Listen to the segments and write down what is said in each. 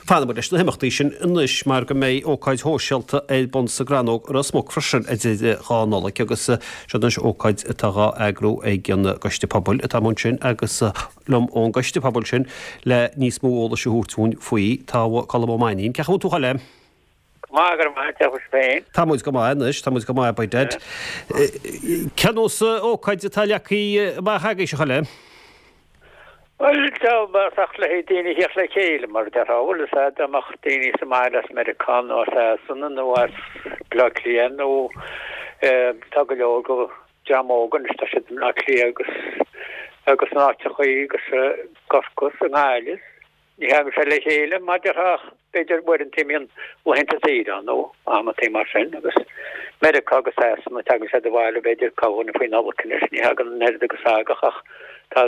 Fanfaidh muid leis na himeachtaí sin anois mar go mbeidh ócáid shóisialta ar bun sa gCrannóg i Ros Muc freisin idir 2 Nollaig agus seo anois ócáid atá dhá eagrú ag an gCoiste Pobail atá amuigh ansin agus liom ón gCoiste Pobail sin le níos mó eolais a thabhairt dúinn faoi tá Colm Ó Mainnín. Cén chaoi a bhfuil tú a Choilm? Go maith, go raibh maith agat, agus féin? Tá muid go maith anois, tá muid go maith by dad. Cén nós ócáid atá leagtha amach agaibhse a Choilm? Bhuel, dá mbeadh le haghaidh daoine a theacht le chéile, mar a déarfá, bhfuil fhios a'd, dá mbeadh daoine sa mbaile as Meiriceá nó as Sasana nó as Baile Átha Cliath nó tá go leor go dream óg anois, tá siad i mBleá Cliath agus agus in áiteachaí agus i gCorcaigh is i nGaillimh. Ní thagann sé le chéile, mar a déarfá, ach b'fhéidir uaireanta a mbíonn laethanta saoire ann nó amantaí mar sin agus Meiriceá agus Sasana tagann siad abhaile b'fhéidir corrdhuine faoi Nollaig anois, ní thagann an oiread agus a thagadh ach tá,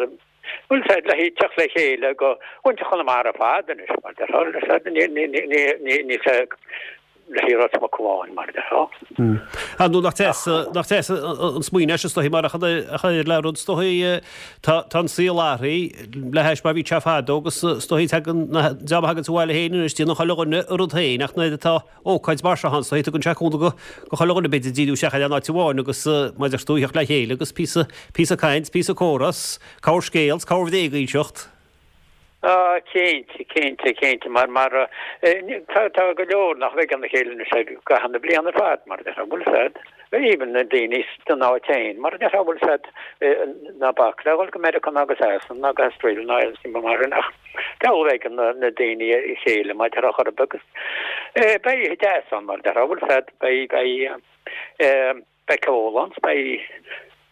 bhfuil fhios a'd, le haghaidh teacht le chéile go mhuintir Chonamara ar fad anois mar a déarfá, bhfuil fhios a'd, ní, ní, ní, ní, ní, le haghaidh Ros Muc amháin, mar a déarfá. Ar ndóigh, nach deas, nach deas an smaoineamh é sin, is dóichí, mar a chuir le rud, is dóichí, tá, tá an saol athraithe le hais mar a bhí sé fadó agus is dóichí tagann na, dream a thaganns abhaile féin anois, déanann chuile dhuine a rud féin ach nuair atá ócáid mar seo ann, is dóichí, tugann sé cúnamh go, go chuile dhuine b'fhéidir díriú isteach ar aon áit amháin agus mar a deir tú, theacht le chéile agus píosa, píosa caint, píosa comhrá, corrscéal, corrbhréag a inseacht. Ah, cinnte, cinnte, cinnte, mar, mar, tá, tá go leor nach bhfeiceann a chéile anois i gcaitheamh na bliana ar fad, mar a déarfá, bhfuil fhios a'd, even na daoine san áit féin, mar a déarfá, bhfuil fhios a'd, ná bac le dhul go Meiriceá ná go Sasana ná go hAustralia ná aon rud mar sin ach diabhal a bhfeiceann na, na daoine a chéile mar a déarfá chor ar bith agus beidh oíche deas ann, mar a déarfá, bhfuil fhios a'd, beidh, beidh, Beidh ceol ann, beidh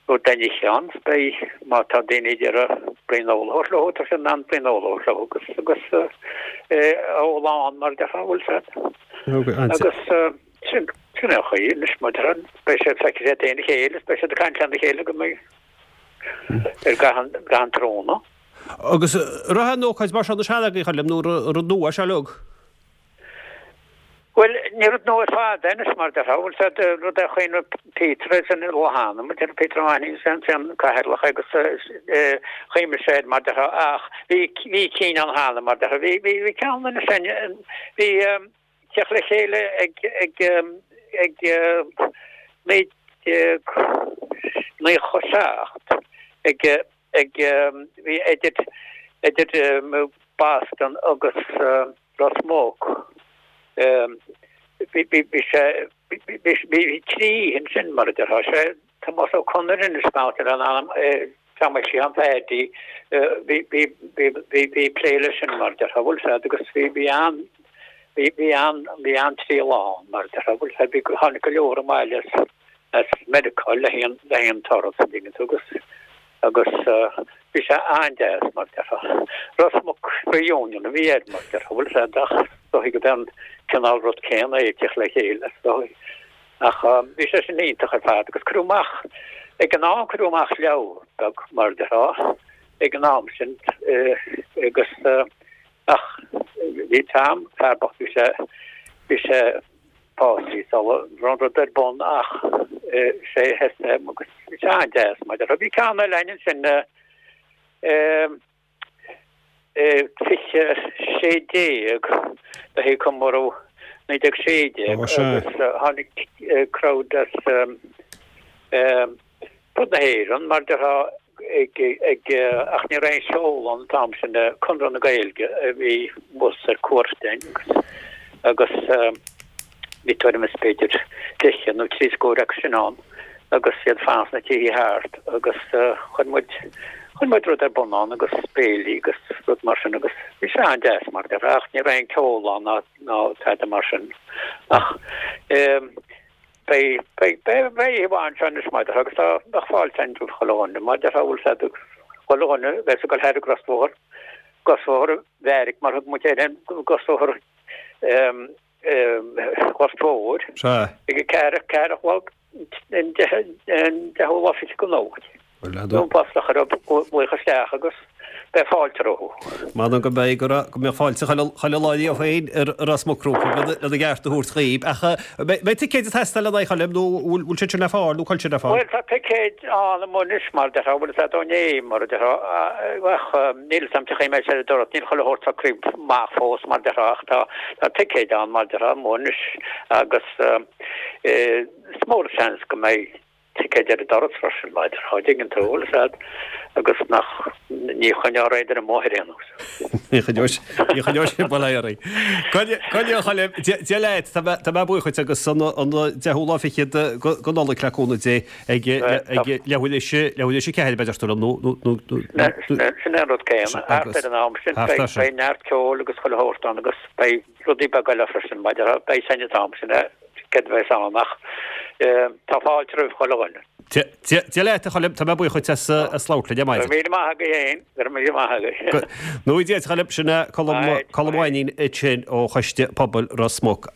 rud le n-ithe ann, beidh, má tá daoine ag iarraidh braon óil a thabhairt leo, tá siad in ann braon óil a thabhairt leo agus, agus ól ann mar a déarfá, bhfuil fhios a'd. Agus sin, sin é an chaoi anois, mar a déarfá, beidh siad, feicfidh siad féin a chéile, beidh siad ag caint lena chéile go mbeidh ar gcaitheamh an tráthnóna. Agus raibh aon ócáid mar seo na sean agaibh, a Choilm, nó rud nua é seo uilig? Bhuel, ní rud nua ar fad é anois, mar a déarfá, bhfuil fhios a'd, rud é a chuimhnigh Peter air sin ó cheana, mar a déarfá, Peter Ó Mainnín, is é an cathaoirleach é agus chuimhnigh sé air, mar a déarfá, ach bhí, bhí cinn ann cheana, mar a déarfá, bhí, bhí, bhí ceann anois ann, bhí teacht le chéile ag, ag, ag 1997 ag, ag, bhí idir, idir Boston agus Ros Muc. Bhí sé, bhí trí ansin mar a déarfá. Sé Tomás Ó Conaire anois beannacht Dé lena anam, Tom Sheáin Phaidí, bhí, bhí, bhí, bhí plé leis sin mar a déarfá, bhfuil fhios a'd agus bhí, bhí an, bhí, bhí an, bhí an-triail ann mar a déarfá, bhfuil fhios a'd, bhí, tháinig go leor abhaile as, as Meiriceá le haghaidh an, le haghaidh an turas an dtuigeann tú agus, Agus bhí sé an-deas, mar a déarfá. Ros Muc Reunion a bhí air, mar a déarfá, bhfuil fhios a'd, ach is dóichí gurb é an cineál rud céanna é, teacht le chéile, is dóichí. Ach bhí sé sin iontach ar fad agus cuireadh amach, ag an am cuireadh amach leabhar beag, mar a déarfá, ag an am sin agus ach bhí Tom, fear bocht, bhí sé, bhí sé, básaithe sula raibh an rud ar bun ach sé SM agus bhí sé an-deas mar a déarfá. Bhí ceann eile againn ansin 2016 le haghaidh comóradh 1916 agus tháinig crowd as fud na hÉireann, mar a déarfá, ag, ag, ach ní raibh aon cheol ann an t-am sin, Conradh na Gaeilge a bhí thuas ar cuairt againn agus, agus bhí tuairim is b'fhéidir daichead nó trí scór acu sin ann agus iad fanacht sna tithe thart agus chuir muid, chuir muid rud ar bun ann agus béilí agus rud mar sin agus bhí sé an-deas mar a déarfá ach ní raibh aon ceol ann ná, ná tada mar sin ach Beidh, beidh, beidh, beidh oíche mhaith anseo anois mar a déarfá agus tá, bheadh fáilte againn roimh chuile dhuine mar a déarfá bhfuil fhios a'd chuile dhuine a bheas ag dul thar an gcrosbhóthar, crosbhóthar Bheairic mar thug muid air, an crosbhóthar ehm, ehm, Ghort Mhóir. Sea. Ag a ceathair, ceathair a chlog, an deich, an deichiú lá fichead go Nollaig. Bhuel, leaid. Nó bus a chur glaoch isteach agus beidh. Beidh fáilte rompu. M'anam go mbeidh, go raibh, go mbeadh fáilte chuile, chuile lá riamh féin ar Ros Muc rompu lena, lena gceart a thabhairt dhaoib. Ach eh, mbeidh ticéid ag teastáil lena aghaidh, a Choilm, nó bhfuil, bhfuil siad sin le fáil, nó cá bhfuil siad le fáil? Bhuel, tá ticéid ann amuigh anois, mar a déarfá, bhfuil a fhios a'd ó inné, mar a déarfá, ach níl a fhios a'm cén chaoi a mbeidh sé ar an doras, níl chuile shórt socraithe amach fós, mar a déarfá, ach tá, tá ticéid ann, mar a déarfá, amuigh anois agus eh, is mór an seans go mbeidh ticéid ar an doras freisin, mar a déarfá, an dtuigeann tú, bhfuil a fhios a'd, agus nach, ní choinneofar aon duine amuigh ar aon nós. Ní choinneoidh, ní choinneoidh sé bail orainn. Go, go a Choilm, Dia leat, tá mé, tá mé buíoch dhuit agus an, an deichiú lá fichead go, go Nollaig le cúnamh Dé ag, ag leathuair théis, leathuair théis a ceathair a deir tú liom nó, nó, nó, nó, Sin é an rud céanna, thart ar an am sin, beidh, beidh neart ceoil agus chuile shórt ann agus beidh rudaí beaga eile freisin, mar a déarfá, beidh san t-am sin céard a bheas ann ach tá fáilte roimh chuile dhuine. Dia leat a Choilm, tá mé buíoch dhuit as labhairt linn ar maidin. Go raibh míle maith agaibh féin, go raibh míle maith agaibh. Go ngnóthaí Dia duit a Choilm, sin é Colm Colm Ó Mainnín ansin ó Choiste Pobail Ros Muc.